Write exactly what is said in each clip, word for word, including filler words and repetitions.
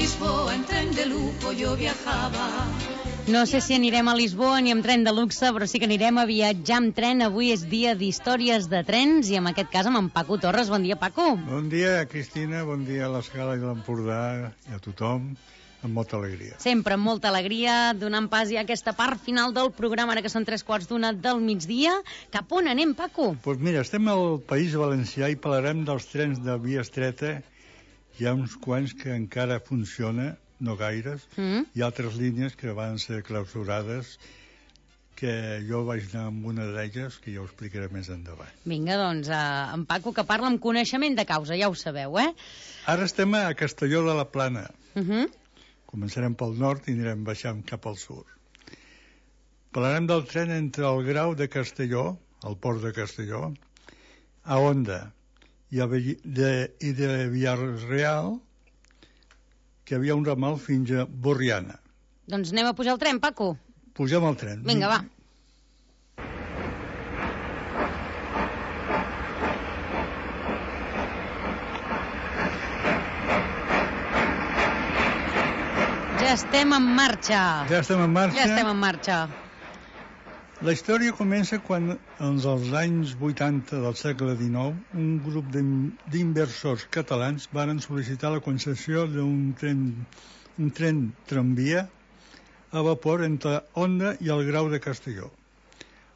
Lisboa en tren de lujo yo viajaba. No sé si anirem a Lisboa ni amb tren de luxe, però sí que anirem a viatjar amb tren. Avui és dia d'històries de trens i en aquest cas amb en Paco Torres. Bon dia, Paco. Bon dia, Cristina, bon dia a l'Escala i a l'Empordà i a tothom, amb molta alegria. Sempre amb molta alegria, donant pas ja a aquesta part final del programa, ara que són tres quarts d'una del migdia. Cap on anem, Paco? Doncs pues mira, estem al País Valencià i parlarem dels trens de via estreta. Hi ha uns quants que encara funciona, no gaires, mm. i altres línies que van ser clausurades, que jo vaig anar amb una d'elles, que ja ho explicaré més endavant. Vinga, doncs, eh, en Paco, que parla amb coneixement de causa, ja ho sabeu, eh? Ara estem a Castelló de la Plana. Uh -huh. Començarem pel nord i anirem baixant cap al sud. Parlarem del tren entre el Grau de Castelló, el port de Castelló, a Onda, i de, i de Villarreal, que hi havia un ramal fins a Borriana. Doncs anem a pujar al tren, Paco. Pugem al tren. Vinga, va. Ja estem en marxa. Ja estem en marxa. Ja estem en marxa. La història comença quan, en els anys vuitanta del segle dinou, un grup d'inversors catalans varen sol·licitar la concessió d'un tren, un tren tramvia a vapor entre Onda i el Grau de Castelló.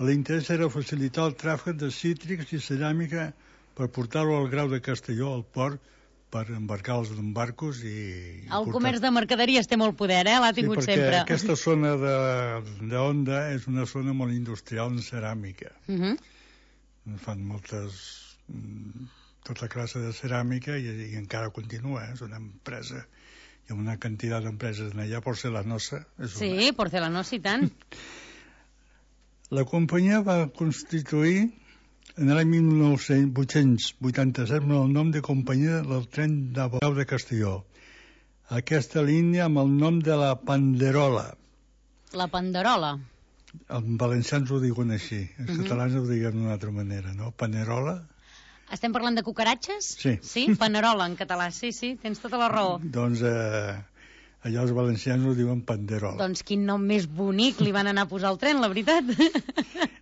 L'interès era facilitar el tràfic de cítrics i ceràmica per portar-lo al Grau de Castelló, al port, per embarcar els barcos i... El portar... comerç de mercaderies té molt poder, eh? L'ha tingut sí, perquè sempre. Aquesta zona d'Onda és una zona molt industrial en ceràmica. Uh -huh. Fan moltes... tota classe de ceràmica i, i encara continua, eh? És una empresa... Hi ha una quantitat d'empreses allà, porcelanosa. És sí, una... porcelanosa i tant. La companyia va constituir en l'any mil vuit-cents vuitanta-set amb el nom de Companyia del Tren de Grau de Castelló. Aquesta línia amb el nom de la Panderola. La Panderola. Els valencians ho diuen així, els uh -huh. catalans ho diuen d'una altra manera, no? Panerola. Estem parlant de cucaratges? Sí. Sí, Panerola en català, sí, sí, tens tota la raó. Doncs eh, allà els valencians ho diuen Panderola. Doncs quin nom més bonic li van anar a posar al tren, la veritat.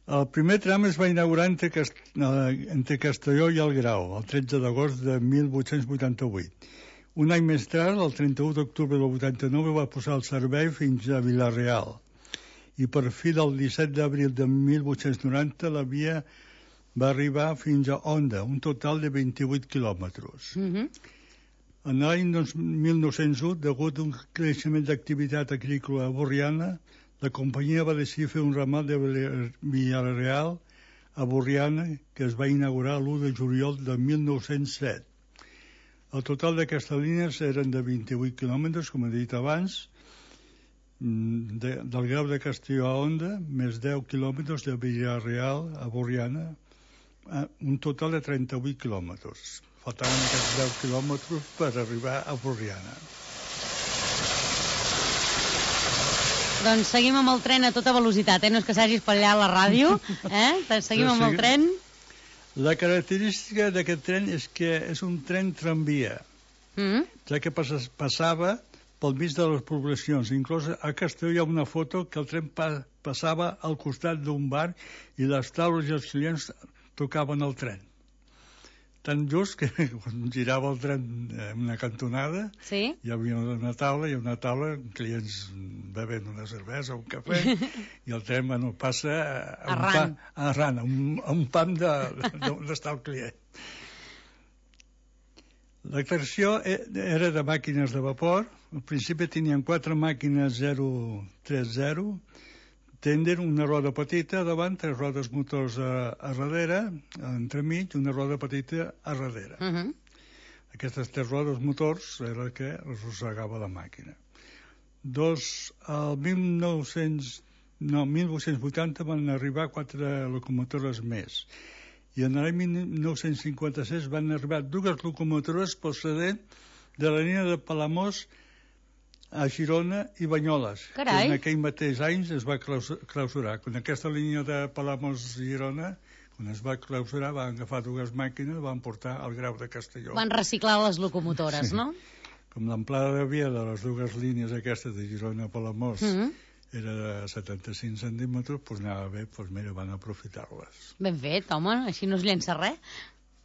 El primer tram es va inaugurar entre, Cast... entre Castelló i el Grau, el tretze d'agost de mil vuit-cents vuitanta-vuit. Un any més tard, el trenta-u d'octubre del vuitanta-nou, va posar el servei fins a Vila-real. I per fi del disset d'abril de mil vuit-cents noranta la via va arribar fins a Onda, un total de vint-i-vuit quilòmetres. Mm -hmm. En l'any mil nou-cents u, degut a un creixement d'activitat agrícola borriana, la companyia va decidir fer un ramal de Villarreal a Borriana, que es va inaugurar l'u de juliol de mil nou-cents set. El total d'aquestes línies eren de vint-i-vuit quilòmetres, com he dit abans, de, del Grau de Castelló a Onda, més deu quilòmetres de Villarreal a Borriana, un total de trenta-vuit quilòmetres. Faltaven aquests deu quilòmetres per arribar a Borriana. Doncs seguim amb el tren a tota velocitat, eh? No és que s'hagi espatllat la ràdio, eh? Seguim amb el tren. La característica d'aquest tren és que és un tren tramvia, mm. ja que passava pel mig de les poblacions. Inclús a Castelló hi ha una foto que el tren pa passava al costat d'un bar i les taules i els clients tocaven el tren. Tan just que quan girava el tren en una cantonada, sí? Hi havia una taula i una taula, clients bevent una cervesa o un cafè, i el tren, bueno, passa a arran, un, pa, arran, a un, a un pam d'on està el client. L'extracció era de màquines de vapor. Al principi tenien quatre màquines zero trenta, tender, una roda petita davant, tres rodes motors a, a darrere, entremig, una roda petita a darrere. Uh -huh. Aquestes tres rodes motors era el que arrossegava la màquina. Dos, al mil nou-cents, no, mil vuit-cents vuitanta van arribar quatre locomotores més. I en l'any mil nou-cents cinquanta-sis van arribar dues locomotores procedent de la línia de Palamós a Girona i Banyoles. Carai. En aquell mateix anys es va clausurar. Quan aquesta línia de Palamós-Girona, quan es va clausurar, van agafar dues màquines, van portar al Grau de Castelló. Van reciclar les locomotores, sí. No? com l'amplada de via de les dues línies aquestes de Girona a Palamós mm -hmm. era de setanta-cinc centímetres, doncs anava bé, doncs mira, van aprofitar-les. Ben fet, home, així no es llença res.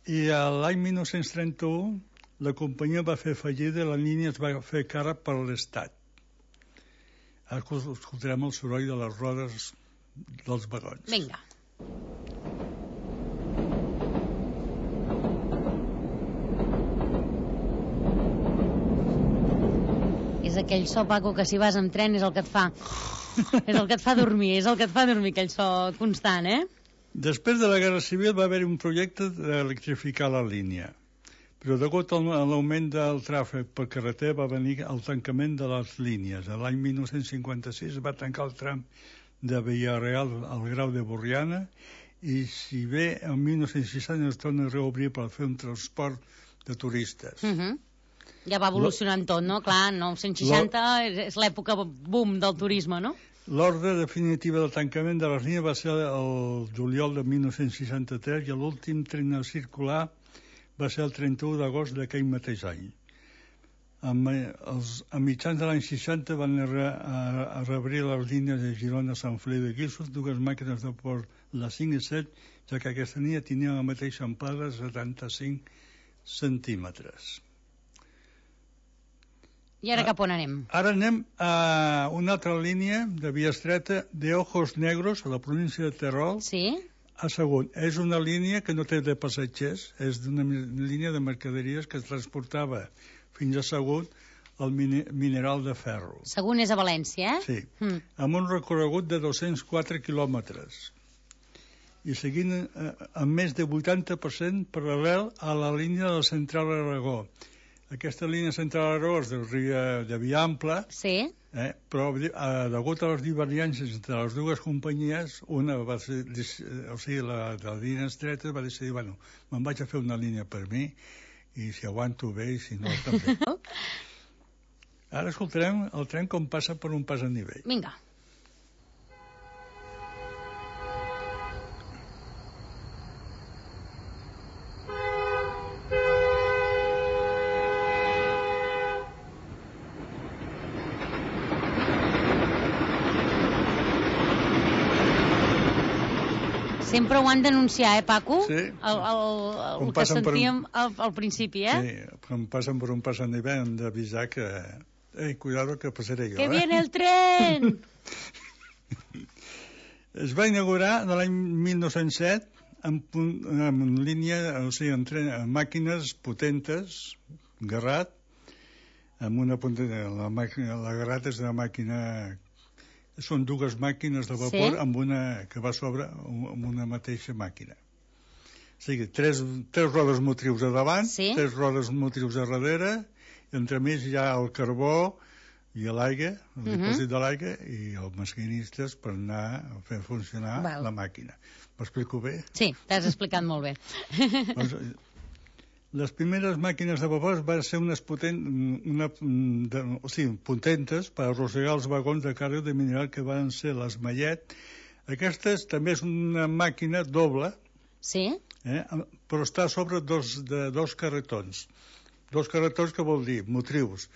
I l'any dinou trenta-u la companyia va fer fallida i la línia es va fer cara per l'Estat. Ara escoltarem el soroll de les rodes dels vagons. Vinga. És aquell so, Paco, que si vas en tren és el que et fa... és el que et fa dormir, és el que et fa dormir, aquell so constant, eh? Després de la Guerra Civil va haver un projecte d'electrificar la línia, però degut a l'augment del tràfic per carretera va venir el tancament de les línies. L'any dinou cinquanta-sis va tancar el tram de Villarreal al Grau de Borriana i si bé el dinou seixanta es torna a reobrir per fer un transport de turistes. Uh -huh. Ja va evolucionant tot, no? Clar, nou seixanta és l'època boom del turisme, no? L'ordre definitiva del tancament de les línies va ser el juliol de dinou seixanta-tres i l'últim tren circular va ser el trenta-u d'agost d'aquell mateix any. A, els, a mitjans de l'any seixanta van a, a, a reobrir les línies de Girona, Sant Feliu de Guíxols, dues màquines de vapor, la cinc i set, ja que aquesta línia tenia la mateixa amplada de setanta-cinc centímetres. I ara cap on anem? Ara anem a una altra línia de via estreta de Ojos Negros, a la província de Terol. Sí? A Sagunt. És una línia que no té de passatgers, és una línia de mercaderies que es transportava fins a Sagunt el mineral de ferro. Sagunt és a València, eh? Sí, mm. amb un recorregut de dos-cents quatre quilòmetres i seguint eh, amb més de vuitanta per cent paral·lel a la línia de la Central Aragó. Aquesta línia Central Aragó és de, de via ampla, sí. eh, però eh, degut a les divergències entre les dues companyies, una va ser, o sigui, la de la línia estreta va decidir, bueno, me'n vaig a fer una línia per mi i si aguanto bé i si no també. Ara escoltarem el tren com passa per un pas a nivell. Vinga. Sempre ho han d'anunciar, eh, Paco? Sí. El, el, el, el que sentíem un... al, al principi, eh? Sí, quan passen per un pas a nivell hem d'avisar que... Ei, cuidado que passaré jo, que eh? Que viene el tren! Es va inaugurar l'any mil nou-cents set en, en línia, o sigui, en, tren, en màquines potentes, Garrat, amb una punta... La, màquina, la Garrat és una màquina... Són dues màquines de vapor, sí? Amb una que va sobre amb una mateixa màquina. O sigui, tres, tres rodes motrius a davant, sí? Tres rodes motrius a darrere, i entremig hi ha el carbó i l'aigua, el uh-huh. dipòsit de l'aigua, i els maquinistes per anar a fer funcionar Val. La màquina. M'explico bé? Sí, t'has explicat molt bé. Doncs, les primeres màquines de vapor van ser unes potent, una, de, o sigui, potentes per arrossegar els vagons de càrrega de mineral que van ser les Mallet. Aquestes també és una màquina doble, sí? eh, però està a sobre dos, de dos carretons. Dos carretons que vol dir motrius.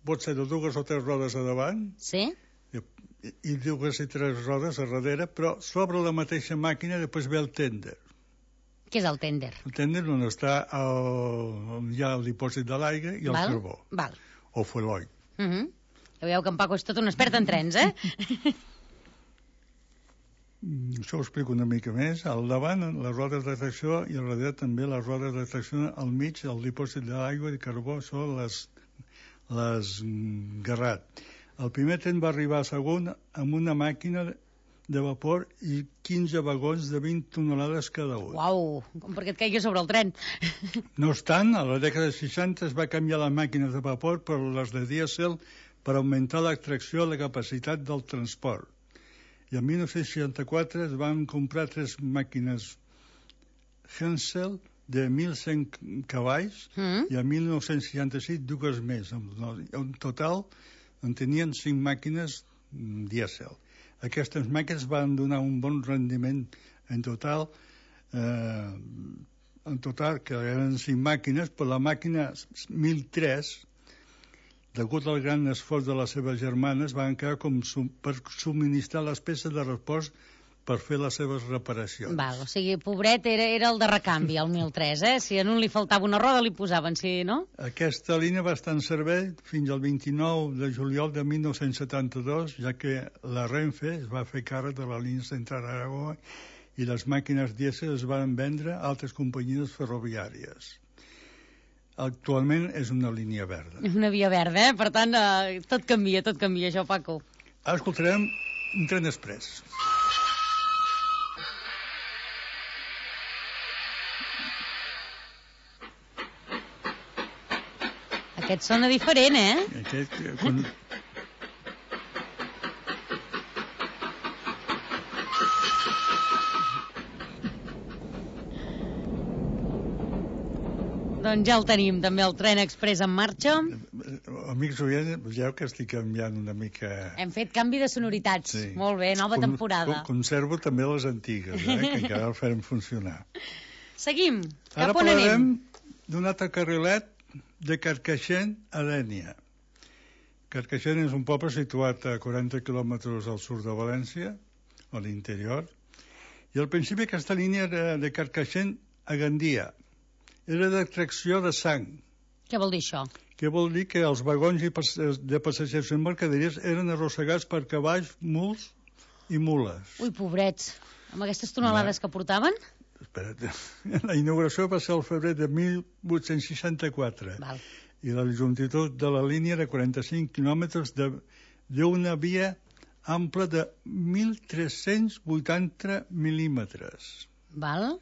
Pot ser de dues o tres rodes a davant, sí? i, i dues i tres rodes a darrere, però sobre la mateixa màquina després ve el tènder. Què és el tènder? El tènder on està el, ja el dipòsit de l'aigua i el Val? carbó. Val. O fueloil. Uh -huh. Ja veieu que en Paco és tot un expert en trens, eh? Això ho explico una mica més. Al davant, les rodes de tracció, i al darrere també les rodes de tracció, al mig, el dipòsit d'aigua i carbó són les, les Garrat. El primer tren va arribar a Sagunt amb una màquina de vapor i quinze vagons de vint tonelades cada un. Uau, com perquè et caigui sobre el tren. No obstant, a la dècada de seixanta es va canviar les màquines de vapor per les de dièsel per augmentar l'extracció i la capacitat del transport. I en dinou seixanta-quatre es van comprar tres màquines Hensel de mil cent cavalls mm. i en dinou seixanta-sis dues més. En total en tenien cinc màquines dièsel. Aquestes màquines van donar un bon rendiment en total, eh, en total que eren cinc màquines, però la màquina mil tres degut al gran esforç de les seves germanes, van quedar com sum per subministrar les peces de repòs per fer les seves reparacions. Val, o sigui, pobret era, era el de recanvi, el mil tres, eh? Si a un li faltava una roda li posaven, sí, no? Aquesta línia va estar en servei fins al vint-i-nou de juliol de mil nou-cents setanta-dos, ja que la Renfe es va fer càrrec de la línia Central Aragó i les màquines dièsel es van vendre a altres companyies ferroviàries. Actualment és una línia verda. És una via verda, eh? Per tant, eh, tot canvia, tot canvia, això, Paco. Ara escoltarem un tren express. Aquest sona diferent, eh? Aquest, quan... Doncs ja el tenim, també, el tren express en marxa. Amics oients, veieu que estic canviant una mica... Hem fet canvi de sonoritats. Sí. Molt bé, nova com, temporada. Com, conservo també les antigues, eh, que encara el farem funcionar. Seguim. Cap Ara on anem? parlarem d'un altre carrilet de Carcaixent a Dénia. Carcaixent és un poble situat a quaranta quilòmetres al sud de València, a l'interior, i al principi aquesta línia era de Carcaixent a Gandia. Era d'extracció de sang. Què vol dir això? Què vol dir que els vagons i pas de passatgers en mercaderies eren arrossegats per cavalls, muls i mules. Ui, pobrets. Amb aquestes tonelades no. que portaven? Espera't. La inauguració va ser el febrer de mil vuit-cents seixanta-quatre. Val. I la longitud de la línia era quaranta-cinc quilòmetres d'una via ampla de mil tres-cents vuitanta mil·límetres. Val.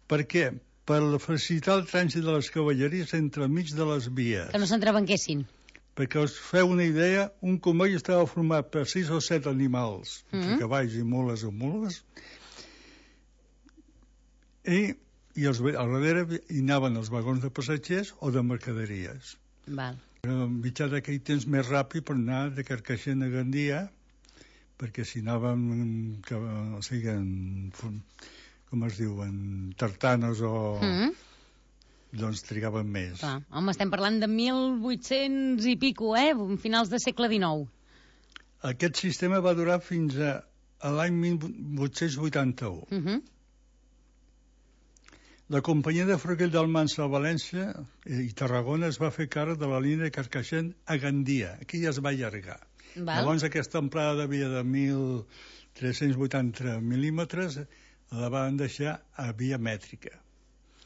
Per què? Per facilitar el trànsit de les cavalleries entre mig de les vies. Que no s'entrebanquessin. Perquè us feu una idea, un comboi estava format per sis o set animals, mm -hmm. cavalls i mules o mules, i, i els, al darrere hi anaven els vagons de passatgers o de mercaderies. Val. Era en mitjà d'aquell temps més ràpid per anar de Carcaixent a Gandia, perquè si anàvem, que, o sigui, en... com es diuen, tartanes o... Mm. Doncs trigaven més. Clar. Home, estem parlant de mil vuit-cents i pico, eh? Finals de segle dinou. Aquest sistema va durar fins a, a l'any mil vuit-cents vuitanta-u. Mm -hmm. La companyia de Ferrocarril d'Almansa a València i Tarragona es va fer càrrec de la línia de Carcaixent a Gandia. Aquí ja es va allargar. Val. Llavors aquesta amplada de via de mil tres-cents vuitanta mil·límetres la van deixar a via mètrica.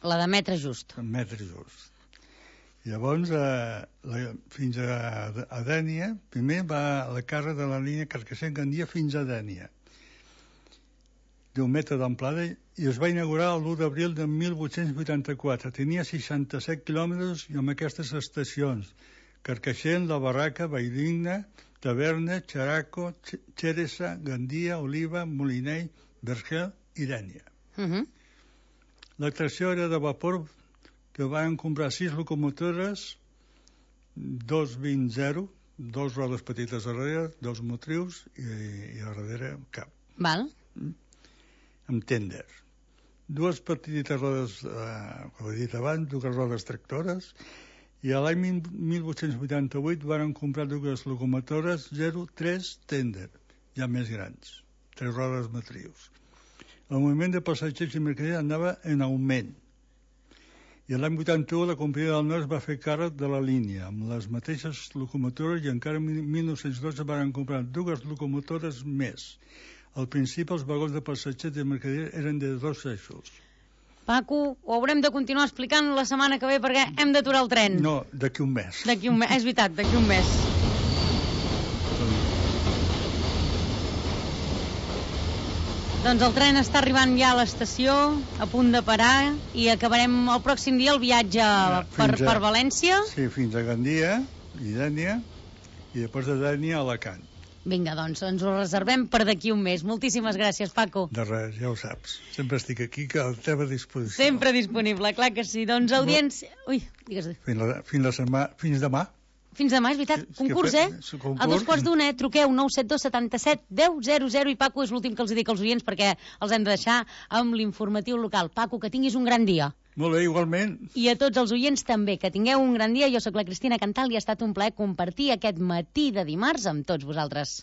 La de metre just. Metre just. Llavors, eh, la, fins a, a Dénia, primer va la càrrega de la línia Carcaixent-Gandia fins a Dénia, d'un metre d'amplada, i es va inaugurar l'u d'abril de mil vuit-cents vuitanta-quatre. Tenia seixanta-set quilòmetres i amb aquestes estacions: Carcaixent, La Barraca, Valldigna, Taverna, Xeraco, Xeresa, Gandia, Oliva, Molinell, Vergel i Dénia. Uh -huh. L'extracció era de vapor, que van comprar sis locomotores, dos vint zero, dos rodes petites a darrere, dos motrius i, i a darrere cap. Val. Amb tender. Dues petites rodes, eh, com he dit abans, dues rodes tractores, i a l'any mil vuit-cents vuitanta-vuit van comprar dues locomotores zero tres tender, ja més grans, tres rodes motrius. El moviment de passatgers i mercaderies anava en augment. I l'any vuitanta-u la companyia del Nord va fer càrrec de la línia, amb les mateixes locomotores, i encara en mil nou-cents dotze van comprar dues locomotores més. Al principi els vagons de passatgers i mercaderies eren de dos eixos. Paco, ho haurem de continuar explicant la setmana que ve perquè hem d'aturar el tren. No, d'aquí un mes. D'aquí un mes, és veritat, d'aquí un mes. Doncs el tren està arribant ja a l'estació, a punt de parar, i acabarem el pròxim dia el viatge ja, per, a, per València. Sí, fins a Gandia i Dénia, i després de Dénia a Alacant. Vinga, doncs ens ho reservem per d'aquí un mes. Moltíssimes gràcies, Paco. De res, ja ho saps. Sempre estic aquí, que a la teva disposició. Sempre disponible, clar que sí. Doncs audiència... Ui, digues. Fins, la, fins, la setmana, fins demà. Fins demà, és veritat. Sí, concurs, eh? Concurs. A dos quarts d'una, eh? Truqueu nou set dos setanta-set deu zero zero, i Paco és l'últim que els dic als oients perquè els hem de deixar amb l'informatiu local. Paco, que tinguis un gran dia. Molt bé, igualment. I a tots els oients també, que tingueu un gran dia. Jo sóc la Cristina Cantal i ha estat un plaer compartir aquest matí de dimarts amb tots vosaltres.